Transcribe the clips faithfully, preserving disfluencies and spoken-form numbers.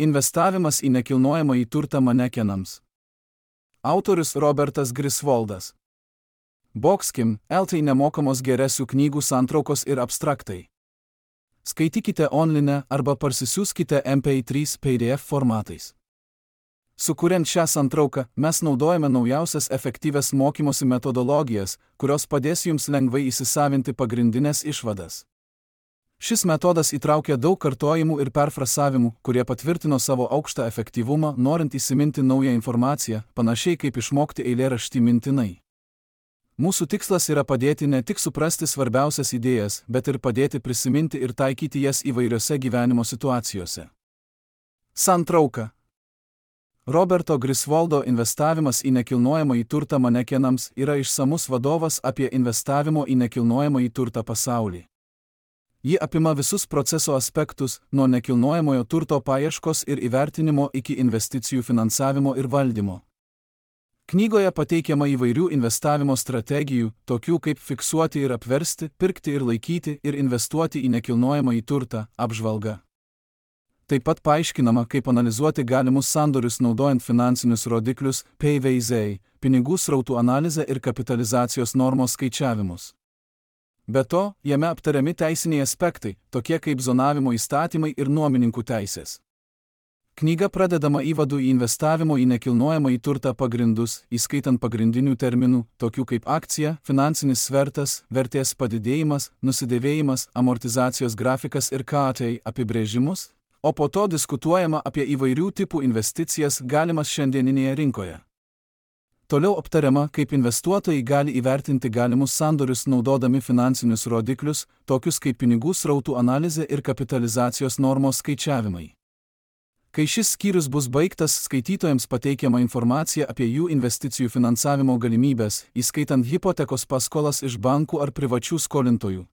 Investavimas į nekilnojamąjį turtą manekenams. Autorius Robertas Griswoldas. Boxkim, L T nemokamos geresių knygų santraukos ir abstraktai. Skaitykite online arba parsisiųskite M P trys P D F formatais. Sukuriant šią santrauką, mes naudojame naujausias efektyvias mokymosi metodologijas, kurios padės jums lengvai įsisavinti pagrindinės išvadas. Šis metodas įtraukia daug kartojimų ir perfrasavimų, kurie patvirtino savo aukštą efektyvumą, norint įsiminti naują informaciją, panašiai kaip išmokti eilėraštį mintinai. Mūsų tikslas yra padėti ne tik suprasti svarbiausias idėjas, bet ir padėti prisiminti ir taikyti jas įvairiose gyvenimo situacijose. Santrauka. Roberto Griswoldo Investavimas į nekilnojamąjį turtą manekenams yra išsamus vadovas apie investavimo į nekilnojamąjį turtą pasaulį. Ji apima visus proceso aspektus, nuo nekilnojamojo turto paieškos ir įvertinimo iki investicijų finansavimo ir valdymo. Knygoje pateikiama įvairių investavimo strategijų, tokių kaip fiksuoti ir apversti, pirkti ir laikyti ir investuoti į nekilnojamąjį turtą, apžvalga. Taip pat paaiškinama, kaip analizuoti galimus sandorius naudojant finansinius rodiklius, P V Z, pinigų srautų analizę ir kapitalizacijos normos skaičiavimus. Be to, jame aptariami teisiniai aspektai, tokie kaip zonavimo įstatymai ir nuomininkų teisės. Knyga pradedama įvadu į investavimo į nekilnojamąjį turtą pagrindus, įskaitant pagrindinių terminų, tokių kaip akcija, finansinis svertas, vertės padidėjimas, nusidėvėjimas, amortizacijos grafikas ir K T apibrėžimus, o po to diskutuojama apie įvairių tipų investicijas galimas šiandieninėje rinkoje. Toliau aptariama, kaip investuotojai gali įvertinti galimus sandorius naudodami finansinius rodiklius, tokius kaip pinigų srautų analizė ir kapitalizacijos normos skaičiavimai. Kai šis skyrius bus baigtas, skaitytojams pateikiama informacija apie jų investicijų finansavimo galimybės, įskaitant hipotekos paskolas iš bankų ar privačių skolintojų.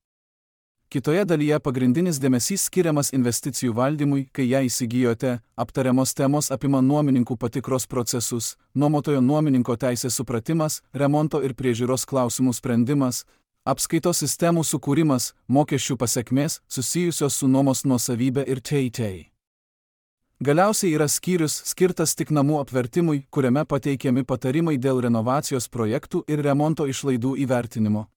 Kitoje dalyje pagrindinis dėmesys skiriamas investicijų valdymui, kai ją įsigijote, aptariamos temos apima nuomininkų patikros procesus, nuomotojo nuomininko teisės supratimas, remonto ir priežiūros klausimų sprendimas, apskaitos sistemų sukūrimas, mokesčių pasekmės, susijusios su nuomos nuosavybė ir T T. Galiausiai yra skyrius skirtas tik namų apvertimui, kuriame pateikiami patarimai dėl renovacijos projektų ir remonto išlaidų įvertinimo.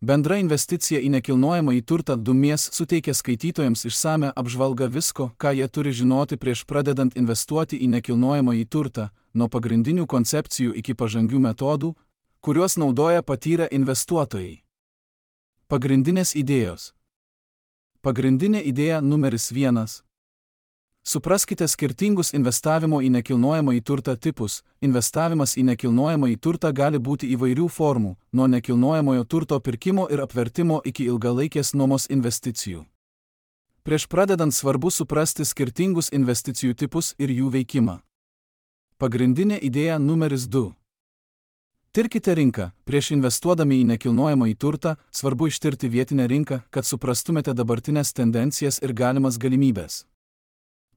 Bendra investicija į nekilnojamąjį turtą Dumies suteikia skaitytojams išsame apžvalgą visko, ką jie turi žinoti prieš pradedant investuoti į nekilnojamąjį turtą, nuo pagrindinių koncepcijų iki pažangių metodų, kuriuos naudoja patyrę investuotojai. Pagrindinės idėjos. Pagrindinė idėja numeris vienas. Supraskite skirtingus investavimo į nekilnojamąjį turtą tipus. Investavimas į nekilnojamąjį turtą gali būti įvairių formų, nuo nekilnojamojo turto pirkimo ir apvertimo iki ilgalaikės nuomos investicijų. Prieš pradedant svarbu suprasti skirtingus investicijų tipus ir jų veikimą. Pagrindinė idėja numeris du. Tirkite rinką. Prieš investuodami į nekilnojamąjį turtą, svarbu ištirti vietinę rinką, kad suprastumėte dabartinės tendencijas ir galimas galimybės.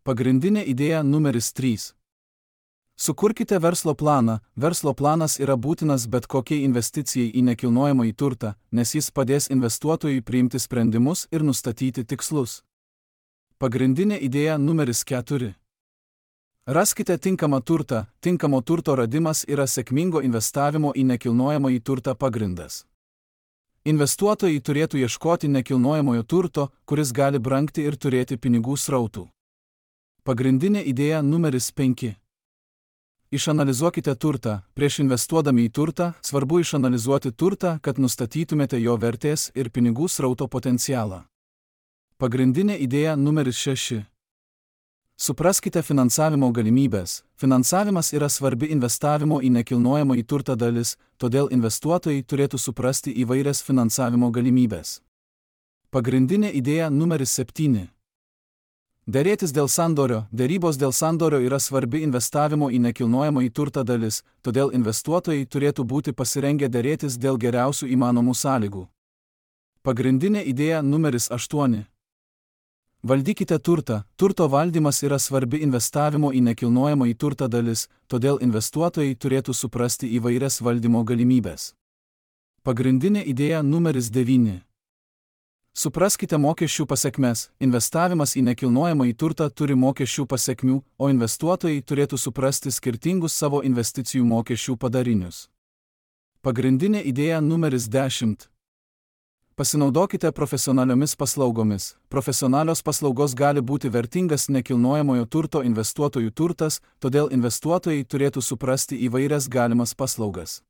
Pagrindinė idėja numeris trys. Sukurkite verslo planą. Verslo planas yra būtinas bet kokiai investicijai į nekilnojamąjį turtą, nes jis padės investuotojui priimti sprendimus ir nustatyti tikslus. Pagrindinė idėja numeris keturi. Raskite tinkamą turtą. Tinkamo turto radimas yra sėkmingo investavimo į nekilnojamąjį turtą pagrindas. Investuotojai turėtų ieškoti nekilnojamojo turto, kuris gali brangti ir turėti pinigų srautų. Pagrindinė idėja numeris penki. Išanalizuokite turtą. Prieš investuodami į turtą, svarbu išanalizuoti turtą, kad nustatytumėte jo vertės ir pinigų srauto potencialą. Pagrindinė idėja numeris šeši. Supraskite finansavimo galimybės. Finansavimas yra svarbi investavimo į nekilnojamąjį turtą dalis, todėl investuotojai turėtų suprasti įvairias finansavimo galimybės. Pagrindinė idėja numeris septyni. Derėtis dėl sandorio. Derybos dėl sandorio yra svarbi investavimo į nekilnojamąjį turtą dalis, todėl investuotojai turėtų būti pasirengę derėtis dėl geriausių įmanomų sąlygų. Pagrindinė idėja numeris aštuoni. Valdykite turtą. Turto valdymas yra svarbi investavimo į nekilnojamąjį turtą dalis, todėl investuotojai turėtų suprasti įvairias valdymo galimybės. Pagrindinė idėja numeris devyni. Supraskite mokesčių pasekmes. Investavimas į nekilnojamą į turtą turi mokesčių pasekmių, o investuotojai turėtų suprasti skirtingus savo investicijų mokesčių padarinius. Pagrindinė idėja numeris dešimt. Pasinaudokite profesionaliomis paslaugomis. Profesionalios paslaugos gali būti vertingas nekilnojamojo turto investuotojų turtas, todėl investuotojai turėtų suprasti įvairias galimas paslaugas.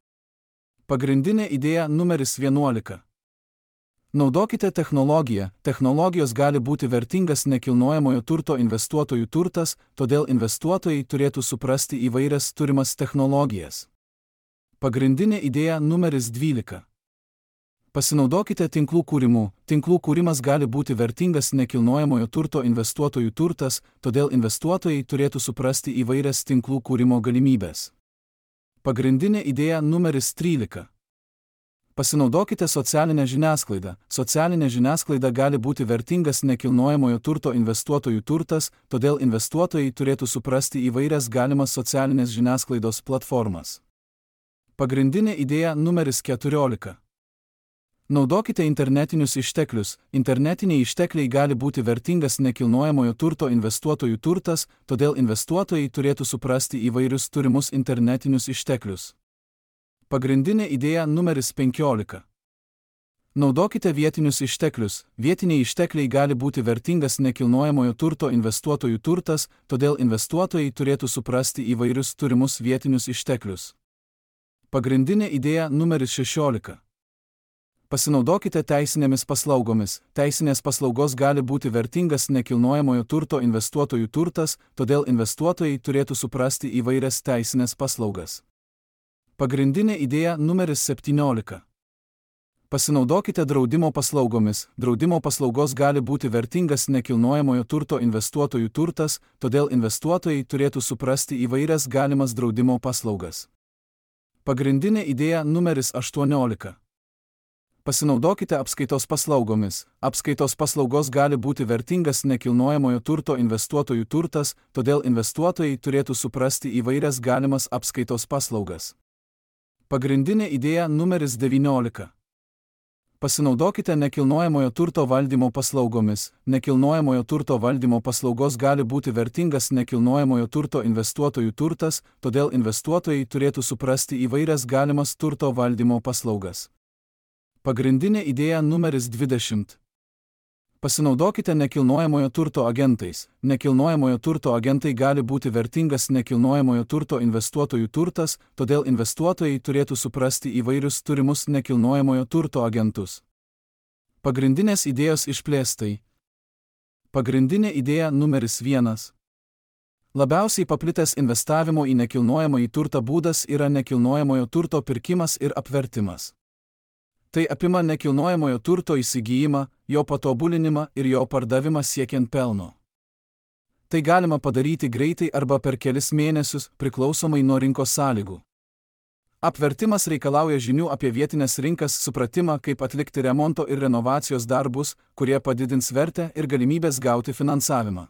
Pagrindinė idėja numeris vienuolika. Naudokite technologiją. Technologijos gali būti vertingas nekilnojamojo turto investuotojų turtas, todėl investuotojai turėtų suprasti įvairias turimas technologijas. Pagrindinė idėja numeris dvylika. Pasinaudokite tinklų kūrimu. Tinklų kūrimas gali būti vertingas nekilnojamojo turto investuotojų turtas, todėl investuotojai turėtų suprasti įvairias tinklų kūrimo galimybės. Pagrindinė idėja numeris trylika. Pasinaudokite socialinę žiniasklaidą. Socialinė žiniasklaida gali būti vertingas nekilnojamojo turto investuotojų turtas, todėl investuotojai turėtų suprasti įvairias galimas socialinės žiniasklaidos platformas. Pagrindinė idėja numeris keturiolika. Naudokite internetinius išteklius. Internetiniai ištekliai gali būti vertingas nekilnojamojo turto investuotojų turtas, todėl investuotojai turėtų suprasti įvairius turimus internetinius išteklius. Pagrindinė idėja numeris penkiolika. Naudokite vietinius išteklius. Vietiniai ištekliai gali būti vertingas nekilnojamojo turto investuotojų turtas, todėl investuotojai turėtų suprasti įvairius turimus vietinius išteklius. Pagrindinė idėja numeris šešiolika. Pasinaudokite teisinėmis paslaugomis. Teisinės paslaugos gali būti vertingas nekilnojamojo turto investuotojų turtas, todėl investuotojai turėtų suprasti įvairias teisinės paslaugas. Pagrindinė idėja numeris septyniolika. Pasinaudokite draudimo paslaugomis. Draudimo paslaugos gali būti vertingas nekilnojamojo turto investuotojų turtas, todėl investuotojai turėtų suprasti įvairias galimas draudimo paslaugas. Pagrindinė idėja numeris aštuoniolika. Pasinaudokite apskaitos paslaugomis. Apskaitos paslaugos gali būti vertingas nekilnojamojo turto investuotojų turtas, todėl investuotojai turėtų suprasti įvairias galimas apskaitos paslaugas. Pagrindinė idėja numeris devyniolika. Pasinaudokite nekilnojamojo turto valdymo paslaugomis. Nekilnojamojo turto valdymo paslaugos gali būti vertingas nekilnojamojo turto investuotojų turtas, todėl investuotojai turėtų suprasti įvairias galimas turto valdymo paslaugas. Pagrindinė idėja numeris dvidešimt. Pasinaudokite nekilnojamojo turto agentais. Nekilnojamojo turto agentai gali būti vertingas nekilnojamojo turto investuotojų turtas, todėl investuotojai turėtų suprasti įvairius turimus nekilnojamojo turto agentus. Pagrindinės idėjos išplėstai. Pagrindinė idėja numeris vienas. Labiausiai paplitęs investavimo į nekilnojamąjį turtą būdas yra nekilnojamojo turto pirkimas ir apvertimas. Tai apima nekilnojamojo turto įsigijimą, jo patobulinimą ir jo pardavimą siekiant pelno. Tai galima padaryti greitai arba per kelis mėnesius, priklausomai nuo rinkos sąlygų. Apvertimas reikalauja žinių apie vietinės rinkas, supratimą, kaip atlikti remonto ir renovacijos darbus, kurie padidins vertę ir galimybės gauti finansavimą.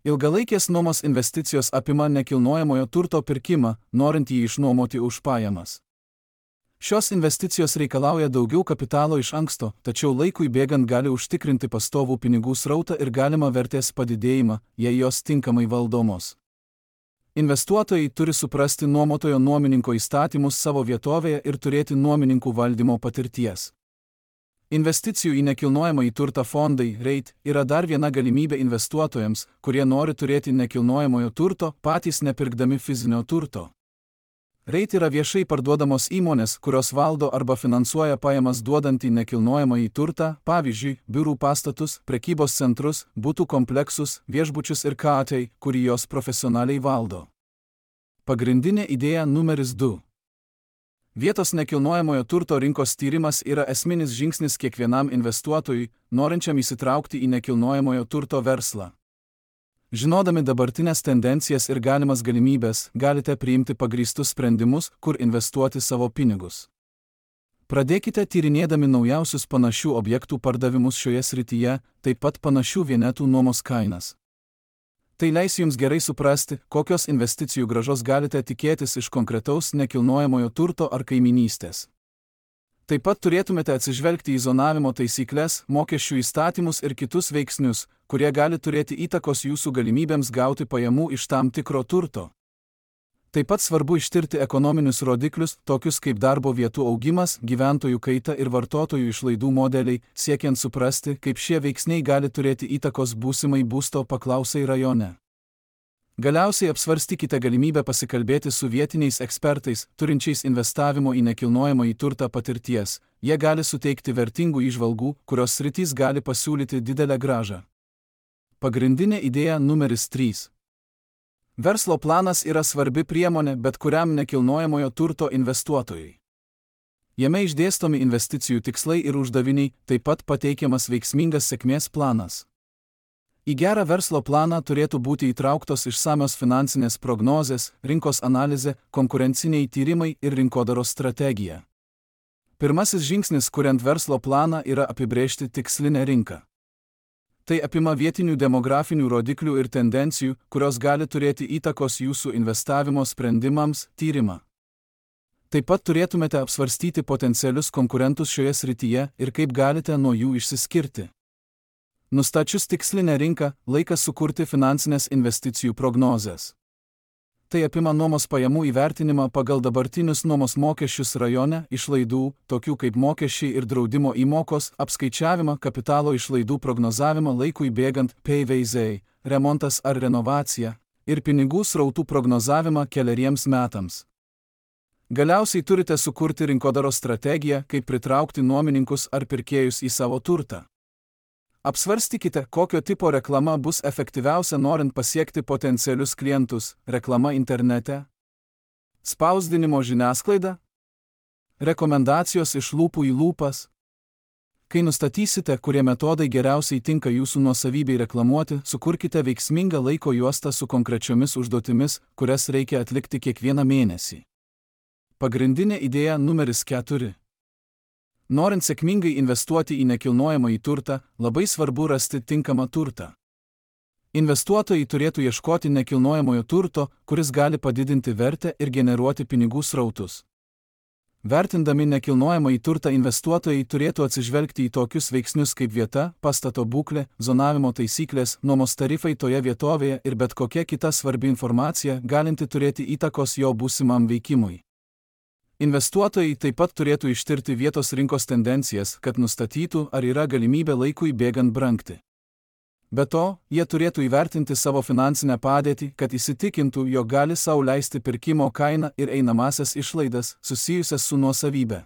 Ilgalaikės nuomos investicijos apima nekilnojamojo turto pirkimą, norint jį išnuomoti už pajamas. Šios investicijos reikalauja daugiau kapitalo iš anksto, tačiau laikui bėgant gali užtikrinti pastovų pinigų srautą ir galimą vertės padidėjimą, jei jos tinkamai valdomos. Investuotojai turi suprasti nuomotojo nuomininko įstatymus savo vietovėje ir turėti nuomininkų valdymo patirties. Investicijų į nekilnojamąjį turtą fondai REIT yra dar viena galimybė investuotojams, kurie nori turėti nekilnojamojo turto, patys nepirkdami fizinio turto. REIT yra viešai parduodamos įmonės, kurios valdo arba finansuoja pajamas duodantį nekilnojamąjį turtą, pavyzdžiui, biurų pastatus, prekybos centrus, butų kompleksus, viešbučius ir katai, kurį jos profesionaliai valdo. Pagrindinė idėja numeris du. Vietos nekilnojamojo turto rinkos tyrimas yra esminis žingsnis kiekvienam investuotojui, norinčiam įsitraukti į nekilnojamojo turto verslą. Žinodami dabartinės tendencijas ir galimas galimybės, galite priimti pagrįstus sprendimus, kur investuoti savo pinigus. Pradėkite tyrinėdami naujausius panašių objektų pardavimus šioje srityje, taip pat panašių vienetų nuomos kainas. Tai leis jums gerai suprasti, kokios investicijų grąžos galite tikėtis iš konkretaus nekilnojamojo turto ar kaiminystės. Taip pat turėtumėte atsižvelgti į zonavimo taisyklės, mokesčių įstatymus ir kitus veiksnius, kurie gali turėti įtakos jūsų galimybėms gauti pajamų iš tam tikro turto. Taip pat svarbu ištirti ekonominius rodiklius, tokius kaip darbo vietų augimas, gyventojų kaita ir vartotojų išlaidų modeliai, siekiant suprasti, kaip šie veiksniai gali turėti įtakos būsimai būsto paklausai rajone. Galiausiai apsvarstykite galimybę pasikalbėti su vietiniais ekspertais, turinčiais investavimo į nekilnojamąjį turtą patirties. Jie gali suteikti vertingų įžvalgų, kurios sritys gali pasiūlyti didelę grąžą. Pagrindinė idėja numeris trys. Verslo planas yra svarbi priemonė bet kuriam nekilnojamojo turto investuotojui. Jame išdėstomi investicijų tikslai ir uždaviniai, taip pat pateikiamas veiksmingas sėkmės planas. Į gerą verslo planą turėtų būti įtrauktos išsamios finansinės prognozės, rinkos analizė, konkurenciniai tyrimai ir rinkodaros strategija. Pirmasis žingsnis kuriant verslo planą yra apibrėžti tikslinę rinką. Tai apima vietinių demografinių rodiklių ir tendencijų, kurios gali turėti įtakos jūsų investavimo sprendimams, tyrimą. Taip pat turėtumėte apsvarstyti potencialius konkurentus šioje srityje ir kaip galite nuo jų išsiskirti. Nustačius tikslinę rinką, laikas sukurti finansinės investicijų prognozes. Tai apima nuomos pajamų įvertinimą pagal dabartinius nuomos mokesčius rajone, išlaidų, tokių kaip mokesčiai ir draudimo įmokos, apskaičiavimą, kapitalo išlaidų prognozavimą laikui bėgant, P V Z, remontas ar renovacija, ir pinigų srautų prognozavimą keleriems metams. Galiausiai turite sukurti rinkodaros strategiją, kaip pritraukti nuomininkus ar pirkėjus į savo turtą. Apsvarstykite, kokio tipo reklama bus efektyviausia norint pasiekti potencialius klientus – reklama internete, spausdinimo žiniasklaida, rekomendacijos iš lūpų į lūpas. Kai nustatysite, kurie metodai geriausiai tinka jūsų nuosavybei reklamuoti, sukurkite veiksmingą laiko juostą su konkrečiomis užduotimis, kurias reikia atlikti kiekvieną mėnesį. Pagrindinė idėja numeris keturi. Norint sėkmingai investuoti į nekilnojamąjį turtą, labai svarbu rasti tinkamą turtą. Investuotojai turėtų ieškoti nekilnojamojo turto, kuris gali padidinti vertę ir generuoti pinigų srautus. Vertindami nekilnojamąjį turtą investuotojai turėtų atsižvelgti į tokius veiksnius kaip vieta, pastato būklė, zonavimo taisyklės, nuomos tarifai toje vietovėje ir bet kokia kita svarbi informacija, galinti turėti įtakos jo būsimam veikimui. Investuotojai taip pat turėtų ištirti vietos rinkos tendencijas, kad nustatytų, ar yra galimybė laikui bėgant brangti. Be to, jie turėtų įvertinti savo finansinę padėtį, kad įsitikintų, jog gali sau leisti pirkimo kainą ir einamasias išlaidas, susijusias su nuosavybė.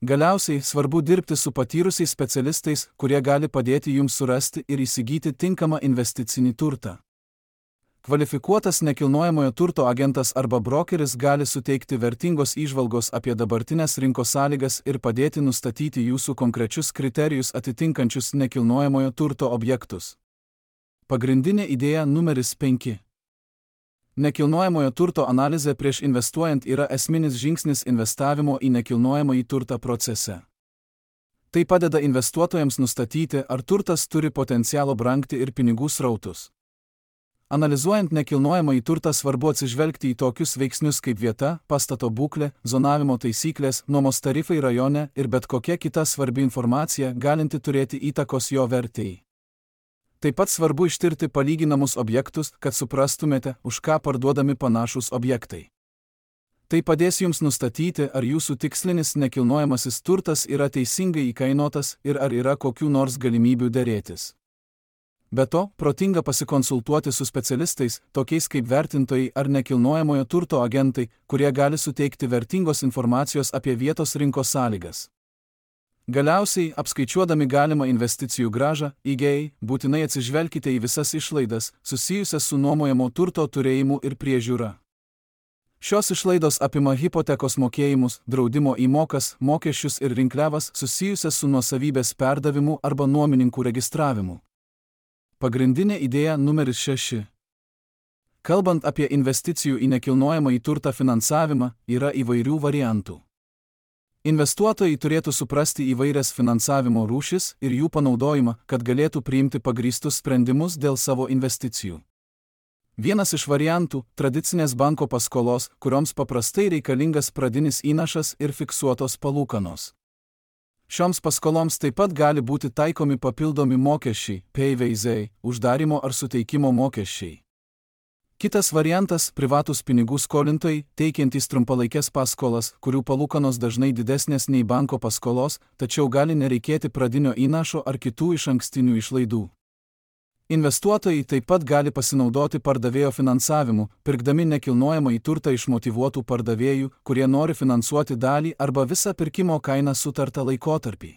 Galiausiai svarbu dirbti su patyrusiais specialistais, kurie gali padėti jums surasti ir įsigyti tinkamą investicinį turtą. Kvalifikuotas nekilnojamojo turto agentas arba brokeris gali suteikti vertingos įžvalgos apie dabartinės rinkos sąlygas ir padėti nustatyti jūsų konkrečius kriterijus atitinkančius nekilnojamojo turto objektus. Pagrindinė idėja numeris penki. Nekilnojamojo turto analizė prieš investuojant yra esminis žingsnis investavimo į nekilnojamąjį turtą procese. Tai padeda investuotojams nustatyti, ar turtas turi potencialo brangti ir pinigų srautus. Analizuojant nekilnojamąjį turtą svarbu atsižvelgti į tokius veiksnius kaip vieta, pastato būklė, zonavimo taisyklės, nuomos tarifai rajone ir bet kokia kita svarbi informacija, galinti turėti įtakos jo vertei. Taip pat svarbu ištirti palyginamus objektus, kad suprastumėte, už ką parduodami panašūs objektai. Tai padės jums nustatyti, ar jūsų tikslinis nekilnojamasis turtas yra teisingai įkainotas ir ar yra kokių nors galimybių derėtis. Be to, protinga pasikonsultuoti su specialistais, tokiais kaip vertintojai ar nekilnojamojo turto agentai, kurie gali suteikti vertingos informacijos apie vietos rinkos sąlygas. Galiausiai, apskaičiuodami galimą investicijų grąžą, I G A, būtinai atsižvelkite į visas išlaidas, susijusias su nuomojamo turto turėjimu ir priežiūra. Šios išlaidos apima hipotekos mokėjimus, draudimo įmokas, mokesčius ir rinkliavas susijusias su nuosavybės perdavimu arba nuomininkų registravimu. Pagrindinė idėja numeris šeši. Kalbant apie investicijų į nekilnojamąjį turtą finansavimą, yra įvairių variantų. Investuotojai turėtų suprasti įvairias finansavimo rūšis ir jų panaudojimą, kad galėtų priimti pagrįstus sprendimus dėl savo investicijų. Vienas iš variantų – tradicinės banko paskolos, kurioms paprastai reikalingas pradinis įnašas ir fiksuotos palūkanos. Šioms paskoloms taip pat gali būti taikomi papildomi mokesčiai, P V Z, uždarimo ar suteikimo mokesčiai. Kitas variantas – privatūs pinigų skolintojai, teikiantys trumpalaikės paskolas, kurių palūkanos dažnai didesnės nei banko paskolos, tačiau gali nereikėti pradinio įnašo ar kitų išankstinių išlaidų. Investuotojai taip pat gali pasinaudoti pardavėjo finansavimu, pirkdami nekilnojamąjį turtą iš motyvuotų pardavėjų, kurie nori finansuoti dalį arba visą pirkimo kainą sutartą laikotarpį.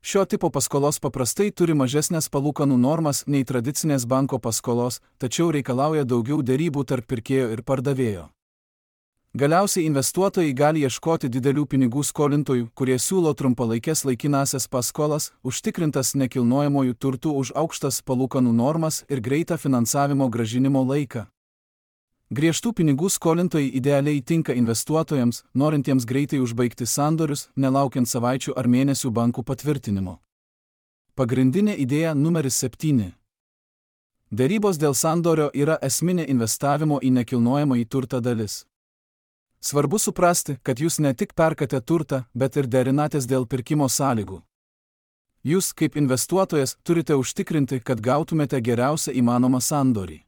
Šio tipo paskolos paprastai turi mažesnės palūkanų normas nei tradicinės banko paskolos, tačiau reikalauja daugiau derybų tarp pirkėjo ir pardavėjo. Galiausiai investuotojai gali ieškoti didelių pinigų skolintojų, kurie siūlo trumpalaikės laikinąsias paskolas, užtikrintas nekilnojamojų turtų už aukštas palūkanų normas ir greitą finansavimo grąžinimo laiką. Griežtų pinigų skolintojai idealiai tinka investuotojams, norintiems greitai užbaigti sandorius, nelaukiant savaičių ar mėnesių bankų patvirtinimo. Pagrindinė idėja numeris septyni. Derybos dėl sandorio yra esminė investavimo į nekilnojamąjį turtą dalis. Svarbu suprasti, kad jūs ne tik perkate turtą, bet ir derinatės dėl pirkimo sąlygų. Jūs, kaip investuotojas, turite užtikrinti, kad gautumėte geriausią įmanomą sandorį.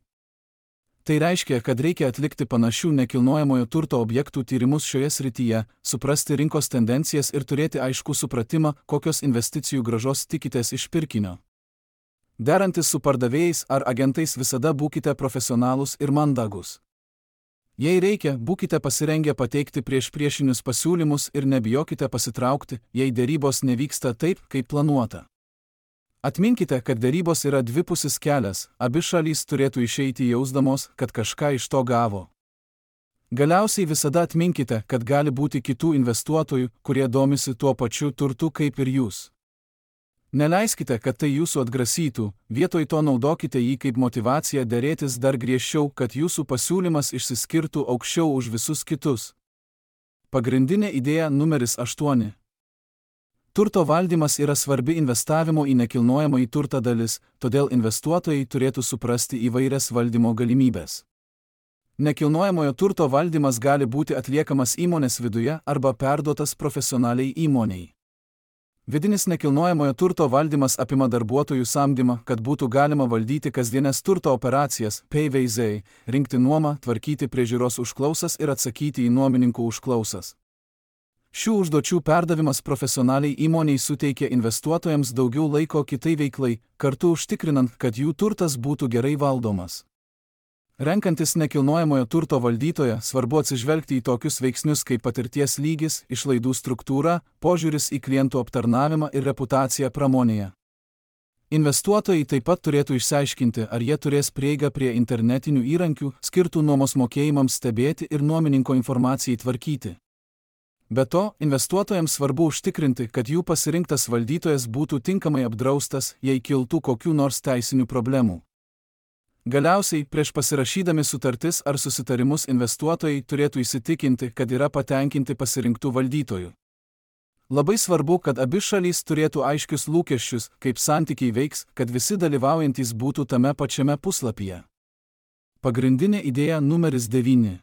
Tai reiškia, kad reikia atlikti panašių nekilnojamojo turto objektų tyrimus šioje srityje, suprasti rinkos tendencijas ir turėti aiškų supratimą, kokios investicijų grąžos tikitės iš pirkinio. Derantis su pardavėjais ar agentais visada būkite profesionalūs ir mandagus. Jei reikia, būkite pasirengę pateikti prieš priešinius pasiūlymus ir nebijokite pasitraukti, jei derybos nevyksta taip, kaip planuota. Atminkite, kad derybos yra dvipusis kelias, abi šalys turėtų išeiti jausdamos, kad kažką iš to gavo. Galiausiai visada atminkite, kad gali būti kitų investuotojų, kurie domisi tuo pačiu turtu kaip ir jūs. Neleiskite, kad tai jūsų atgrasytų, vietoj to naudokite jį kaip motyvaciją derėtis dar griežčiau, kad jūsų pasiūlymas išsiskirtų aukščiau už visus kitus. Pagrindinė idėja numeris aštuoni. Turto valdymas yra svarbi investavimo į nekilnojamąjį turtą dalis, todėl investuotojai turėtų suprasti įvairias valdymo galimybės. Nekilnojamojo turto valdymas gali būti atliekamas įmonės viduje arba perduotas profesionaliai įmoniai. Vidinis nekilnojamojo turto valdymas apima darbuotojų samdymą, kad būtų galima valdyti kasdienės turto operacijas, P V Z, rinkti nuomą, tvarkyti priežiūros užklausas ir atsakyti į nuomininkų užklausas. Šių užduočių perdavimas profesionaliai įmoniai suteikia investuotojams daugiau laiko kitai veiklai, kartu užtikrinant, kad jų turtas būtų gerai valdomas. Renkantis nekilnojamojo turto valdytoją, svarbu atsižvelgti į tokius veiksnius kaip patirties lygis, išlaidų struktūra, požiūris į klientų aptarnavimą ir reputacija pramonėje. Investuotojai taip pat turėtų išsiaiškinti, ar jie turės prieigą prie internetinių įrankių, skirtų nuomos mokėjimams stebėti ir nuomininko informacijai tvarkyti. Be to, investuotojams svarbu užtikrinti, kad jų pasirinktas valdytojas būtų tinkamai apdraustas, jei kiltų kokių nors teisinių problemų. Galiausiai, prieš pasirašydami sutartis ar susitarimus investuotojai turėtų įsitikinti, kad yra patenkinti pasirinktų valdytojų. Labai svarbu, kad abi šalys turėtų aiškius lūkesčius, kaip santykiai veiks, kad visi dalyvaujantys būtų tame pačiame puslapyje. Pagrindinė idėja numeris devyni.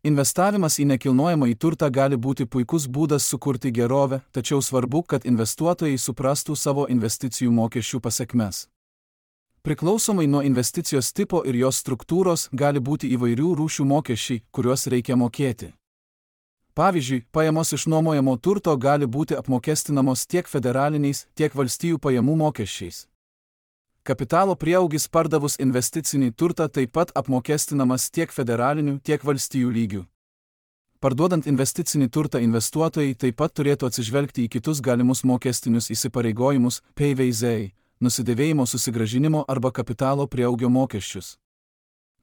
Investavimas į nekilnojamąjį turtą gali būti puikus būdas sukurti gerovę, tačiau svarbu, kad investuotojai suprastų savo investicijų mokesčių pasekmes. Priklausomai nuo investicijos tipo ir jos struktūros gali būti įvairių rūšių mokesčiai, kuriuos reikia mokėti. Pavyzdžiui, pajamos iš nuomojamo turto gali būti apmokestinamos tiek federaliniais, tiek valstijų pajamų mokesčiais. Kapitalo prieaugis pardavus investicinį turtą taip pat apmokestinamas tiek federaliniu, tiek valstijų lygiu. Parduodant investicinį turtą investuotojai taip pat turėtų atsižvelgti į kitus galimus mokestinius įsipareigojimus, P V Z, nusidėvėjimo susigrąžinimo arba kapitalo prieaugio mokesčius.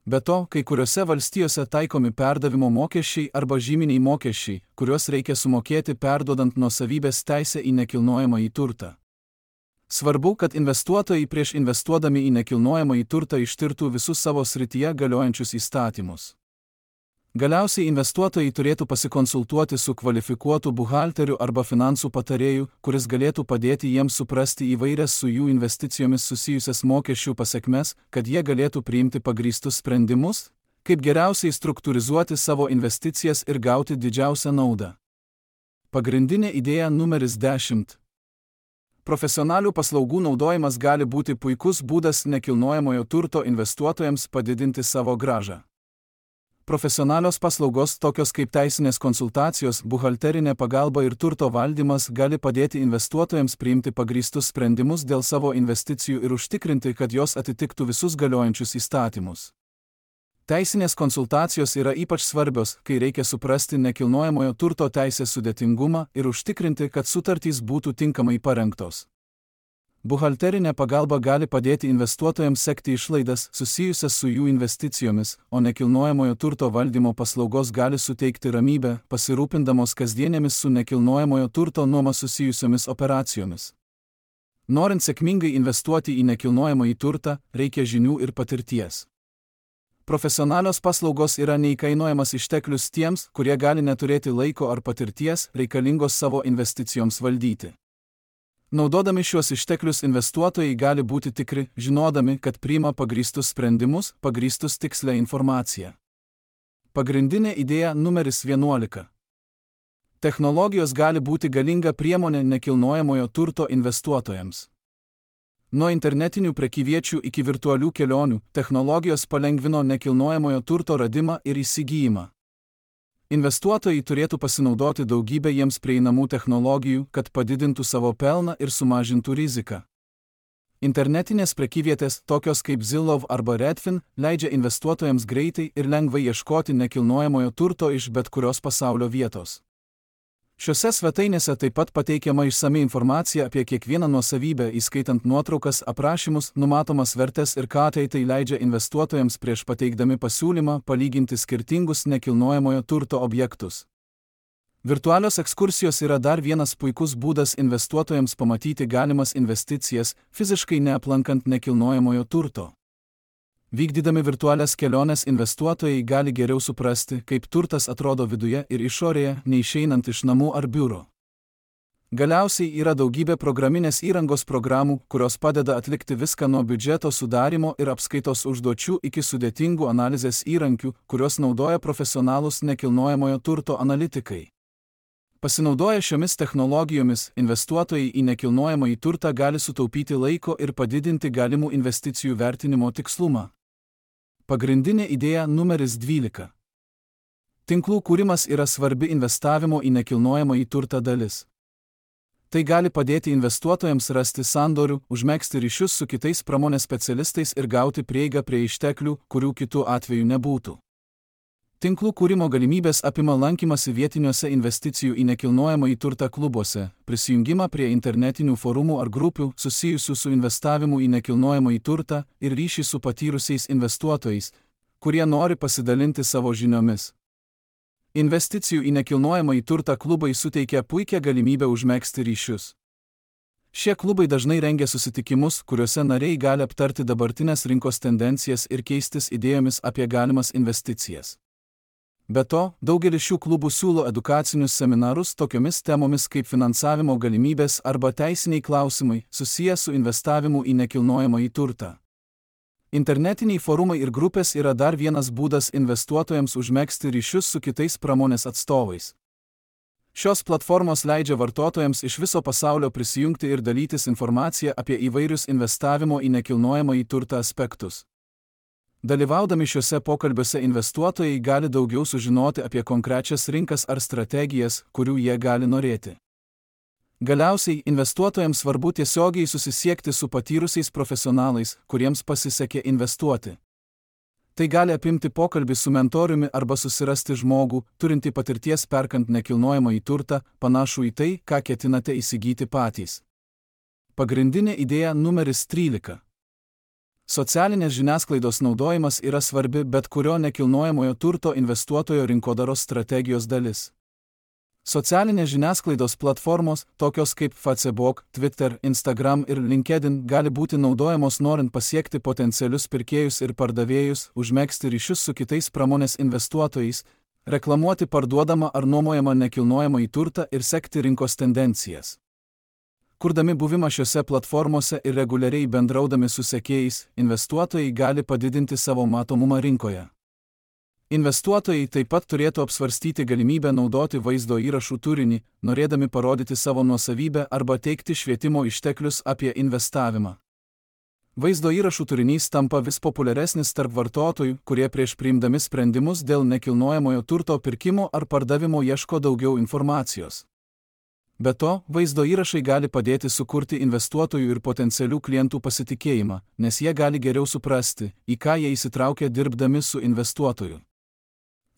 Be to, kai kuriuose valstijose taikomi perdavimo mokesčiai arba žyminiai mokesčiai, kuriuos reikia sumokėti perduodant nuosavybės teisę į nekilnojamąjį turtą. Svarbu, kad investuotojai prieš investuodami į nekilnojamąjį turtą ištirtų visus savo srityje galiojančius įstatymus. Galiausiai investuotojai turėtų pasikonsultuoti su kvalifikuotu buhalteriu arba finansų patarėju, kuris galėtų padėti jiems suprasti įvairias su jų investicijomis susijusias mokesčių pasekmes, kad jie galėtų priimti pagrįstus sprendimus, kaip geriausiai struktūrizuoti savo investicijas ir gauti didžiausią naudą. Pagrindinė idėja numeris dešimt. Profesionalių paslaugų naudojimas gali būti puikus būdas nekilnojamojo turto investuotojams padidinti savo grąžą. Profesionalios paslaugos tokios kaip teisinės konsultacijos, buhalterinė pagalba ir turto valdymas gali padėti investuotojams priimti pagrįstus sprendimus dėl savo investicijų ir užtikrinti, kad jos atitiktų visus galiojančius įstatymus. Teisinės konsultacijos yra ypač svarbios, kai reikia suprasti nekilnojamojo turto teisės sudėtingumą ir užtikrinti, kad sutartys būtų tinkamai parengtos. Buhalterinė pagalba gali padėti investuotojams sekti išlaidas susijusias su jų investicijomis, o nekilnojamojo turto valdymo paslaugos gali suteikti ramybę, pasirūpindamos kasdienėmis su nekilnojamojo turto nuoma susijusiomis operacijomis. Norint sėkmingai investuoti į nekilnojamąjį turtą, reikia žinių ir patirties. Profesionalios paslaugos yra neįkainojamas išteklius tiems, kurie gali neturėti laiko ar patirties reikalingos savo investicijoms valdyti. Naudodami šiuos išteklius investuotojai gali būti tikri, žinodami, kad priima pagrįstus sprendimus, pagrįstus tikslę informaciją. Pagrindinė idėja numeris vienuolika. Technologijos gali būti galinga priemonė nekilnojamojo turto investuotojams. Nuo internetinių prekyviečių iki virtualių kelionių, technologijos palengvino nekilnojamojo turto radimą ir įsigijimą. Investuotojai turėtų pasinaudoti daugybę jiems prieinamų technologijų, kad padidintų savo pelną ir sumažintų riziką. Internetinės prekyvietės, tokios kaip Zillow arba Redfin, leidžia investuotojams greitai ir lengvai ieškoti nekilnojamojo turto iš bet kurios pasaulio vietos. Šiose svetainėse taip pat pateikiama išsami informacija apie kiekvieną nuosavybę, įskaitant nuotraukas, aprašymus, numatomas vertes ir ką tai leidžia investuotojams prieš pateikdami pasiūlymą palyginti skirtingus nekilnojamojo turto objektus. Virtualios ekskursijos yra dar vienas puikus būdas investuotojams pamatyti galimas investicijas, fiziškai neaplankant nekilnojamojo turto. Vykdydami virtualias keliones investuotojai gali geriau suprasti, kaip turtas atrodo viduje ir išorėje, neišeinant iš namų ar biuro. Galiausiai yra daugybė programinės įrangos programų, kurios padeda atlikti viską nuo biudžeto sudarymo ir apskaitos užduočių iki sudėtingų analizės įrankių, kurios naudoja profesionalūs nekilnojamojo turto analitikai. Pasinaudoję šiomis technologijomis, investuotojai į nekilnojamąjį turtą gali sutaupyti laiko ir padidinti galimų investicijų vertinimo tikslumą. Pagrindinė idėja numeris dvylika. Tinklų kūrimas yra svarbi investavimo į nekilnojamąjį turtą dalis. Tai gali padėti investuotojams rasti sandorių, užmegzti ryšius su kitais pramonės specialistais ir gauti prieigą prie išteklių, kurių kitų atveju nebūtų. Tinklų kūrimo galimybės apima lankymasi vietiniuose investicijų į nekilnojamąjį turtą klubuose, prisijungimą prie internetinių forumų ar grupių susijusių su investavimu į nekilnojamąjį turtą ir ryšį su patyrusiais investuotojais, kurie nori pasidalinti savo žiniomis. Investicijų į nekilnojamąjį turtą klubai suteikia puikią galimybę užmegzti ryšius. Šie klubai dažnai rengia susitikimus, kuriuose nariai gali aptarti dabartinės rinkos tendencijas ir keistis idėjomis apie galimas investicijas. Be to, daugelis šių klubų siūlo edukacinius seminarus tokiomis temomis kaip finansavimo galimybės arba teisiniai klausimai susiję su investavimu į nekilnojamąjį turtą. Internetiniai forumai ir grupės yra dar vienas būdas investuotojams užmegzti ryšius su kitais pramonės atstovais. Šios platformos leidžia vartotojams iš viso pasaulio prisijungti ir dalytis informaciją apie įvairius investavimo į nekilnojamąjį turtą aspektus. Dalyvaudami šiuose pokalbiuose investuotojai gali daugiau sužinoti apie konkrečias rinkas ar strategijas, kurių jie gali norėti. Galiausiai, investuotojams svarbu tiesiogiai susisiekti su patyrusiais profesionalais, kuriems pasisekė investuoti. Tai gali apimti pokalbį su mentoriumi arba susirasti žmogų, turintį patirties perkant nekilnojamąjį turtą, panašų į tai, ką ketinate įsigyti patys. Pagrindinė idėja numeris trylika. Socialinės žiniasklaidos naudojimas yra svarbi bet kurio nekilnojamojo turto investuotojo rinkodaros strategijos dalis. Socialinės žiniasklaidos platformos, tokios kaip Facebook, Twitter, Instagram ir LinkedIn, gali būti naudojamos norint pasiekti potencialius pirkėjus ir pardavėjus, užmegzti ryšius su kitais pramonės investuotojais, Reklamuoti parduodamą ar nuomojamą nekilnojamąjį turtą ir sekti rinkos tendencijas. Kurdami buvimą šiose platformose ir reguliariai bendraudami su sekėjais, investuotojai gali padidinti savo matomumą rinkoje. Investuotojai taip pat turėtų apsvarstyti galimybę naudoti vaizdo įrašų turinį, norėdami parodyti savo nuosavybę arba teikti švietimo išteklius apie investavimą. Vaizdo įrašų turinys tampa vis populiaresnis tarp vartotojų, kurie prieš priimdami sprendimus dėl nekilnojamojo turto pirkimo ar pardavimo ieško daugiau informacijos. Be to, vaizdo įrašai gali padėti sukurti investuotojų ir potencialių klientų pasitikėjimą, nes jie gali geriau suprasti, į ką jie įsitraukia dirbdami su investuotoju.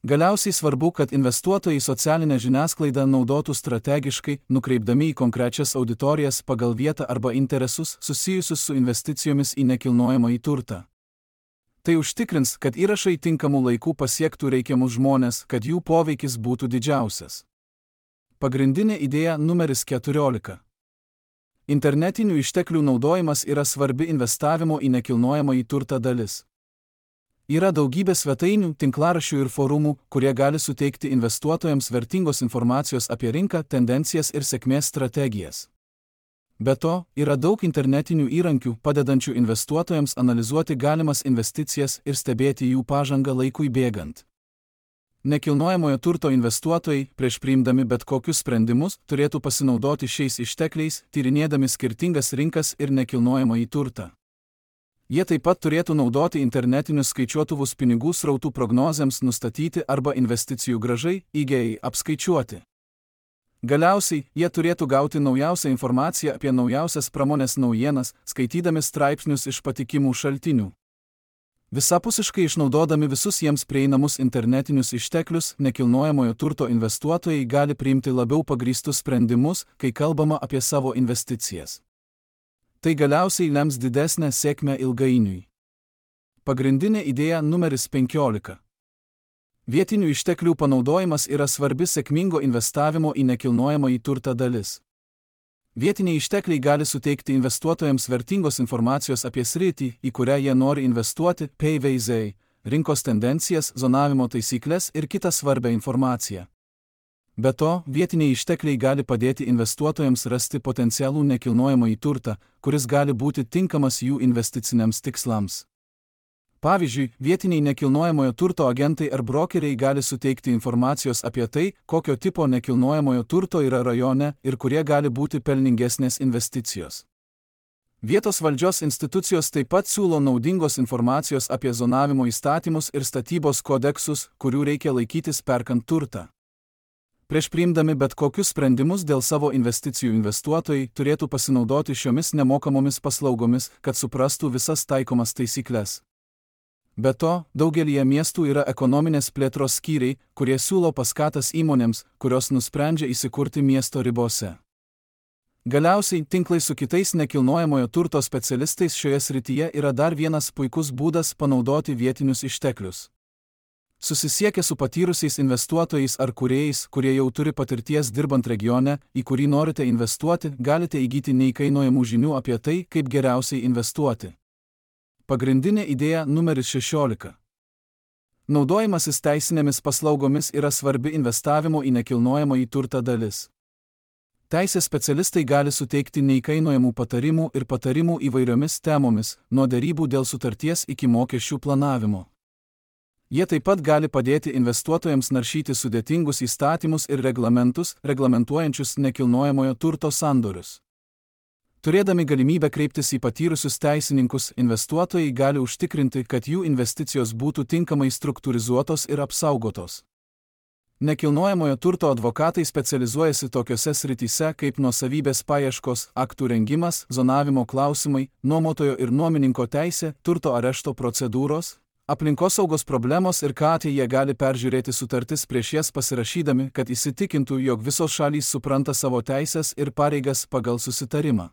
Galiausiai svarbu, kad investuotojai socialinę žiniasklaidą naudotų strategiškai, nukreipdami į konkrečias auditorijas pagal vietą arba interesus susijusius su investicijomis į nekilnojamąjį turtą. Tai užtikrins, kad įrašai tinkamų laikų pasiektų reikiamus žmones, kad jų poveikis būtų didžiausias. Pagrindinė idėja numeris keturiolika. Internetinių išteklių naudojimas yra svarbi investavimo į nekilnojamąjį turtą dalis. Yra daugybė svetainių, tinklaraščių ir forumų, kurie gali suteikti investuotojams vertingos informacijos apie rinką, tendencijas ir sėkmės strategijas. Be to, yra daug internetinių įrankių, padedančių investuotojams analizuoti galimas investicijas ir stebėti jų pažangą laikui bėgant. Nekilnojamojo turto investuotojai, prieš priimdami bet kokius sprendimus, turėtų pasinaudoti šiais ištekliais, tyrinėdami skirtingas rinkas ir nekilnojamąjį turtą. Jie taip pat turėtų naudoti internetinius skaičiuotuvus pinigų srautų prognozėms nustatyti arba investicijų grąžai, I G I, apskaičiuoti. Galiausiai, jie turėtų gauti naujausią informaciją apie naujausias pramonės naujienas, skaitydami straipsnius iš patikimų šaltinių. Visapusiškai išnaudodami visus jiems prieinamus internetinius išteklius, nekilnojamojo turto investuotojai gali priimti labiau pagrįstus sprendimus, kai kalbama apie savo investicijas. Tai galiausiai lems didesnę sėkmę ilgainiui. Pagrindinė idėja numeris penkiolika. Vietinių išteklių panaudojimas yra svarbi sėkmingo investavimo į nekilnojamąjį turtą dalis. Vietiniai ištekliai gali suteikti investuotojams vertingos informacijos apie sritį, į kurią jie nori investuoti, P V Z, rinkos tendencijas, zonavimo taisyklės ir kitą svarbę informaciją. Be to, vietiniai ištekliai gali padėti investuotojams rasti potencialų nekilnojamąjį turtą, kuris gali būti tinkamas jų investiciniams tikslams. Pavyzdžiui, vietiniai nekilnojamojo turto agentai ar brokeriai gali suteikti informacijos apie tai, kokio tipo nekilnojamojo turto yra rajone ir kurie gali būti pelningesnės investicijos. Vietos valdžios institucijos taip pat siūlo naudingos informacijos apie zonavimo įstatymus ir statybos kodeksus, kurių reikia laikytis perkant turtą. Prieš priimdami bet kokius sprendimus dėl savo investicijų investuotojai turėtų pasinaudoti šiomis nemokamomis paslaugomis, kad suprastų visas taikomas taisyklės. Be to, daugelyje miestų yra ekonominės plėtros skyriai, kurie siūlo paskatas įmonėms, kurios nusprendžia įsikurti miesto ribose. Galiausiai, tinklai su kitais nekilnojamojo turto specialistais šioje srityje yra dar vienas puikus būdas panaudoti vietinius išteklius. Susisiekę su patyrusiais investuotojais ar kūrėjais, kurie jau turi patirties dirbant regione, į kurį norite investuoti, galite įgyti neįkainojamų žinių apie tai, kaip geriausiai investuoti. Pagrindinė idėja numeris šešiolika. Naudojimasis teisinėmis paslaugomis yra svarbi investavimo į nekilnojamąjį turtą dalis. Teisės specialistai gali suteikti neįkainojamų patarimų ir patarimų įvairiomis temomis, nuo derybų dėl sutarties iki mokesčių planavimo. Jie taip pat gali padėti investuotojams naršyti sudėtingus įstatymus ir reglamentus, reglamentuojančius nekilnojamojo turto sandorius. Turėdami galimybę kreiptis į patyrusius teisininkus, investuotojai gali užtikrinti, kad jų investicijos būtų tinkamai struktūrizuotos ir apsaugotos. Nekilnojamojo turto advokatai specializuojasi tokiose srityse kaip nuosavybės paieškos, aktų rengimas, zonavimo klausimai, nuomotojo ir nuomininko teisė, turto arešto procedūros, aplinkosaugos problemos ir ką jie gali peržiūrėti sutartis prieš jas pasirašydami, kad įsitikintų, jog visos šalys supranta savo teisės ir pareigas pagal susitarimą.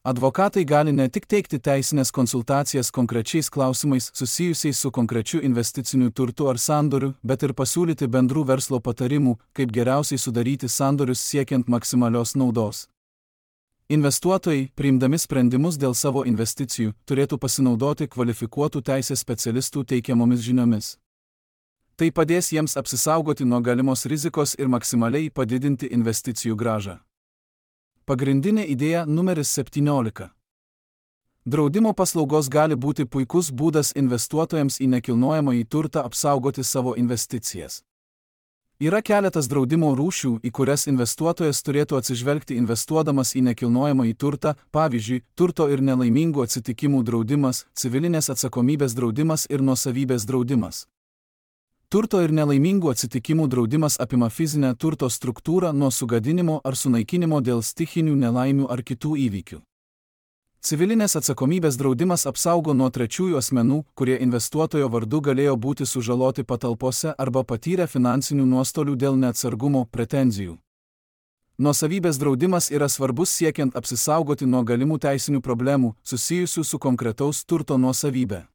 Advokatai gali ne tik teikti teisinės konsultacijas konkrečiais klausimais susijusiais su konkrečiu investiciniu turtu ar sandoriu, bet ir pasiūlyti bendrų verslo patarimų, kaip geriausiai sudaryti sandorius siekiant maksimalios naudos. Investuotojai, priimdami sprendimus dėl savo investicijų, turėtų pasinaudoti kvalifikuotų teisės specialistų teikiamomis žiniomis. Tai padės jiems apsisaugoti nuo galimos rizikos ir maksimaliai padidinti investicijų grąžą. Pagrindinė idėja numeris septyniolika. Draudimo paslaugos gali būti puikus būdas investuotojams į nekilnojamąjį turtą apsaugoti savo investicijas. Yra keletas draudimo rūšių, į kurias investuotojas turėtų atsižvelgti investuodamas į nekilnojamąjį turtą, pavyzdžiui, turto ir nelaimingų atsitikimų draudimas, civilinės atsakomybės draudimas ir nuosavybės draudimas. Turto ir nelaimingų atsitikimų draudimas apima fizinę turto struktūrą nuo sugadinimo ar sunaikinimo dėl stichinių nelaimių ar kitų įvykių. Civilinės atsakomybės draudimas apsaugo nuo trečiųjų asmenų, kurie investuotojo vardu galėjo būti sužaloti patalpose arba patyrę finansinių nuostolių dėl neatsargumo pretenzijų. Nuosavybės draudimas yra svarbus siekiant apsisaugoti nuo galimų teisinių problemų susijusių su konkretaus turto nuosavybė.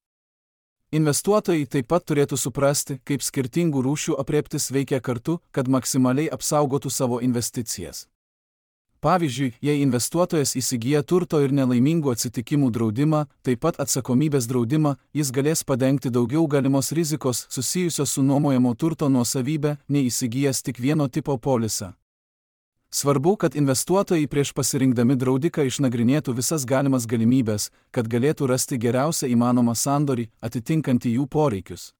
Investuotojai taip pat turėtų suprasti, kaip skirtingų rūšių aprėptis veikia kartu, kad maksimaliai apsaugotų savo investicijas. Pavyzdžiui, jei investuotojas įsigyja turto ir nelaimingų atsitikimų draudimą, taip pat atsakomybės draudimą, jis galės padengti daugiau galimos rizikos susijusios su nuomojamo turto nuosavybė, nei įsigijęs tik vieno tipo polisą. Svarbu, kad investuotojai prieš pasirinkdami draudiką išnagrinėtų visas galimas galimybės, kad galėtų rasti geriausią įmanomą sandorį, atitinkantį jų poreikius.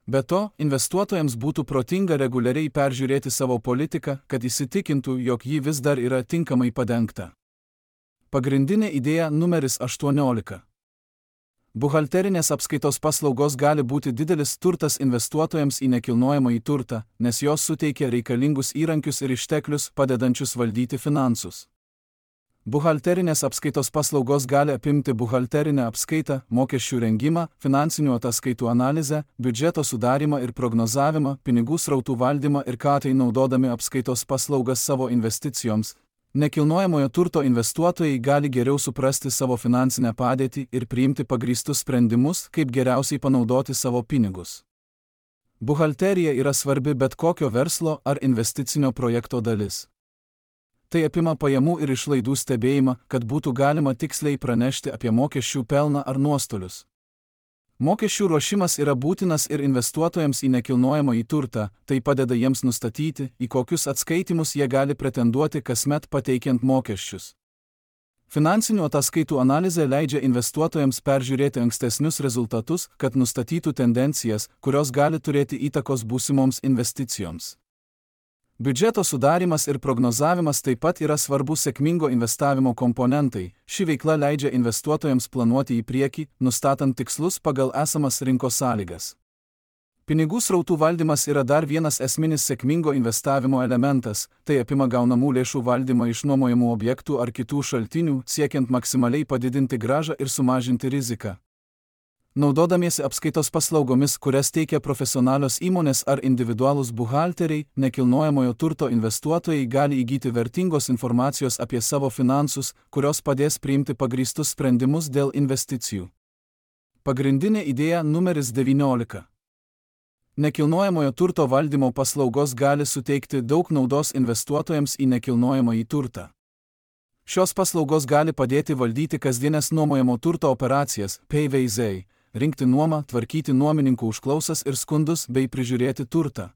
Be to, investuotojams būtų protinga reguliariai peržiūrėti savo politiką, kad įsitikintų, jog ji vis dar yra tinkamai padengta. Pagrindinė idėja numeris aštuoniolika. Buhalterinės apskaitos paslaugos gali būti didelis turtas investuotojams į nekilnojamąjį turtą, nes jos suteikia reikalingus įrankius ir išteklius, padedančius valdyti finansus. Buhalterinės apskaitos paslaugos gali apimti buhalterinę apskaitą, mokesčių rengimą, finansinių ataskaitų analizę, biudžeto sudarimą ir prognozavimą, pinigų srautų valdymą ir ką tai naudodami apskaitos paslaugas savo investicijoms. Nekilnojamojo turto investuotojai gali geriau suprasti savo finansinę padėtį ir priimti pagrįstus sprendimus, kaip geriausiai panaudoti savo pinigus. Buhalterija yra svarbi bet kokio verslo ar investicinio projekto dalis. Tai apima pajamų ir išlaidų stebėjimą, kad būtų galima tiksliai pranešti apie mokesčių pelną ar nuostolius. Mokesčių ruošimas yra būtinas ir investuotojams į nekilnojamąjį turtą, tai padeda jiems nustatyti, į kokius atskaitimus jie gali pretenduoti kasmet pateikiant mokesčius. Finansinių ataskaitų analizė leidžia investuotojams peržiūrėti ankstesnius rezultatus, kad nustatytų tendencijas, kurios gali turėti įtakos būsimoms investicijoms. Biudžeto sudarimas ir prognozavimas taip pat yra svarbus sėkmingo investavimo komponentai. Ši veikla leidžia investuotojams planuoti į priekį, nustatant tikslus pagal esamas rinkos sąlygas. Pinigų srautų valdymas yra dar vienas esminis sėkmingo investavimo elementas, tai apima gaunamų lėšų valdymą iš nuomojamų objektų ar kitų šaltinių, siekiant maksimaliai padidinti grąžą ir sumažinti riziką. Naudodamiesi apskaitos paslaugomis, kurias teikia profesionalios įmonės ar individualūs buhalteriai, nekilnojamojo turto investuotojai gali įgyti vertingos informacijos apie savo finansus, kurios padės priimti pagrįstus sprendimus dėl investicijų. Pagrindinė idėja numeris devyniolika. Nekilnojamojo turto valdymo paslaugos gali suteikti daug naudos investuotojams į nekilnojamąjį turtą. Šios paslaugos gali padėti valdyti kasdienės nuomojamo turto operacijas, P V Z, rinkti nuomą, tvarkyti nuomininkų užklausas ir skundus bei prižiūrėti turtą.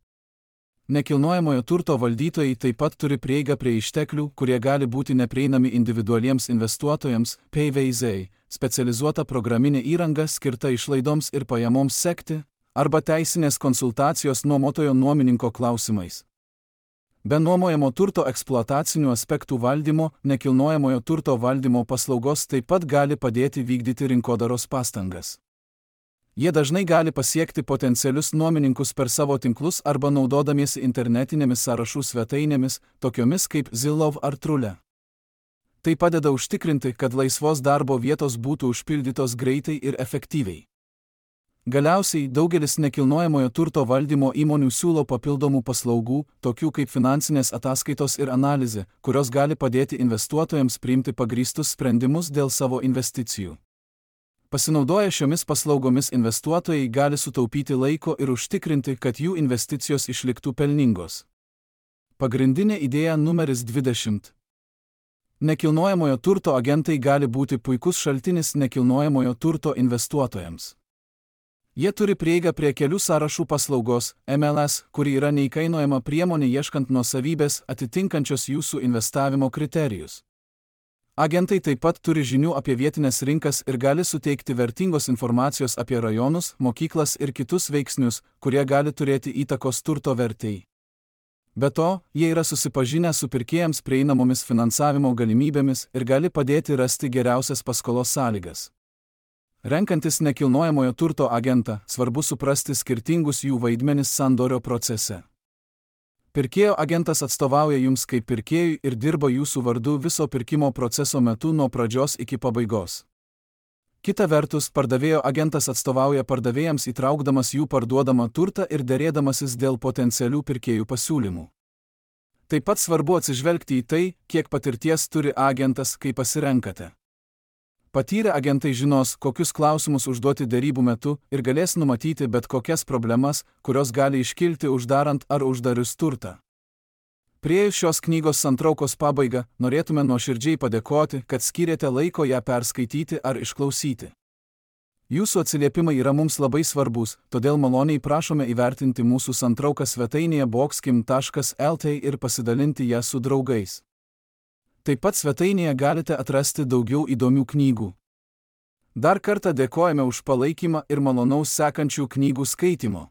Nekilnojamojo turto valdytojai taip pat turi prieigą prie išteklių, kurie gali būti neprieinami individualiems investuotojams, P V Z, specializuota programinė įranga skirta išlaidoms ir pajamoms sekti, arba teisinės konsultacijos nuomotojo nuomininko klausimais. Be nuomojamo turto eksploatacinių aspektų valdymo, nekilnojamojo turto valdymo paslaugos taip pat gali padėti vykdyti rinkodaros pastangas. Jie dažnai gali pasiekti potencialius nuomininkus per savo tinklus arba naudodamiesi internetinėmis sąrašų svetainėmis, tokiomis kaip Zillow ar Trule. Tai padeda užtikrinti, kad laisvos darbo vietos būtų užpildytos greitai ir efektyviai. Galiausiai, daugelis nekilnojamojo turto valdymo įmonių siūlo papildomų paslaugų, tokių kaip finansinės ataskaitos ir analizė, kurios gali padėti investuotojams priimti pagrįstus sprendimus dėl savo investicijų. Pasinaudoję šiomis paslaugomis investuotojai gali sutaupyti laiko ir užtikrinti, kad jų investicijos išliktų pelningos. Pagrindinė idėja numeris dvidešimt. Nekilnojamojo turto agentai gali būti puikus šaltinis nekilnojamojo turto investuotojams. Jie turi prieigą prie kelių sąrašų paslaugos M L S, kuri yra neįkainojama priemonė ieškant nuosavybės atitinkančios jūsų investavimo kriterijus. Agentai taip pat turi žinių apie vietinės rinkas ir gali suteikti vertingos informacijos apie rajonus, mokyklas ir kitus veiksnius, kurie gali turėti įtakos turto vertei. Be to, jie yra susipažinę su pirkėjams prieinamomis finansavimo galimybėmis ir gali padėti rasti geriausias paskolos sąlygas. Renkantis nekilnojamojo turto agentą, svarbu suprasti skirtingus jų vaidmenis sandorio procese. Pirkėjo agentas atstovauja jums kaip pirkėjui ir dirba jūsų vardu viso pirkimo proceso metu nuo pradžios iki pabaigos. Kita vertus, pardavėjo agentas atstovauja pardavėjams įtraukdamas jų parduodamą turtą ir derėdamasis dėl potencialių pirkėjų pasiūlymų. Taip pat svarbu atsižvelgti į tai, kiek patirties turi agentas, kai pasirenkate. Patyrę agentai žinos, kokius klausimus užduoti derybų metu ir galės numatyti bet kokias problemas, kurios gali iškilti uždarant ar uždarius turtą. Priėjus šios knygos santraukos pabaigą, norėtume nuoširdžiai padėkoti, kad skyrėte laiko ją perskaityti ar išklausyti. Jūsų atsiliepimai yra mums labai svarbus, todėl maloniai prašome įvertinti mūsų santrauką svetainėje boxkim taškas el tė ir pasidalinti ją su draugais. Taip pat svetainėje galite atrasti daugiau įdomių knygų. Dar kartą dėkojame už palaikymą ir malonaus sekančių knygų skaitymo.